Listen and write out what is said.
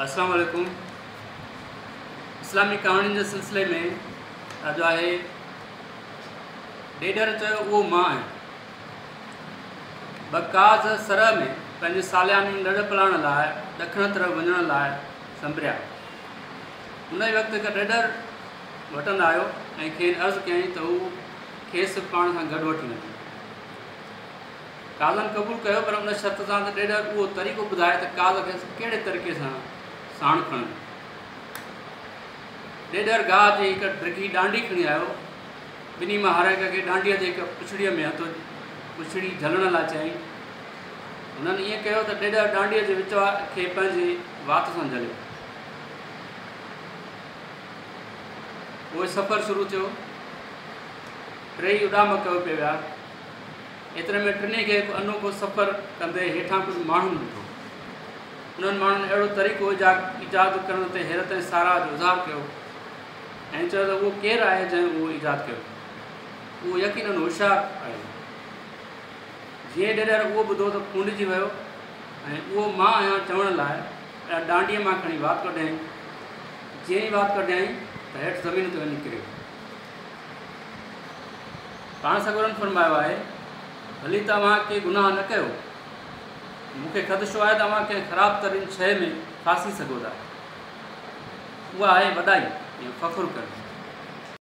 السلام عليڪم. اسلامي ڪهاڻين جي سلسلي ۾ اڄ آهي ڏيڏر چيو اهو مان آهيان. ٻه قاز سرء ۾ پنهنجي سالياني لڏ پلاڻ لاء ڏکڻ طرف وڃڻ لاء سنبريا. ان ئي وقت هڪ ڏيڏر وٽن آيو ۽ کين عرض ڪيائين ته هو کيس پاڻ سان گڏ وٺي وڃي. قازن قبول ڪيو پر ان شرط سان ته ڏيڏر اهو طريقو ٻڌائي ته قاز کيس ڪهڙي طريقي سان ساڻ کڻن. ڏيڏر گاهه جي هڪ ڊگهي ڏانڊي کڻي آيو. ٻنهي مان هر هڪ کي ڏانڊيء جي هڪ پڇڙيء ۾ هٿ پڇڙي جهلڻ لاء چيائين. هنن ائين ڪيو ته ڏيڏر ڏانڊيء جي وچ کي پنهنجي وات سان جهليو. پوء سفر شروع ٿيو. ٽيئي اڏام ڪيو پئي ويا. ايتري ۾ ٽنهي کي هڪ انوکو سفر ڪندي هيٺان ڪجهه ماڻهن ڏٺو. انهن ماڻهن اهڙو طريقو ايجاد ڪرڻ تي حيرت ۽ ساراهه جو اظهار ڪيو ۽ چيو ته اهو ڪير آهي جنهن اهو ايجاد ڪيو؟ اهو يقيناً هوشيار آهي. جيئن ئي ڏيڏر اهو ٻڌو ته ڦونڊجي ويو ۽ اهو مان آهيان چوڻ لاء ڏانڊيء مان کڻي وات ڪڍيائين. جيئن ئي وات ڪڍيائين ته هيٺ زمين تي وڃي ڪريو. پاڻ سڳورن فرمايو آهي، ڀلي ته اوهان ڪي گناهه نه ڪيو، مون کي خدشو آهي ته اوهان ڪنهن خراب ترين شيء ۾ ڦاسي سگهو ٿا. اها آهي وڏائي يا فخر ڪرڻ.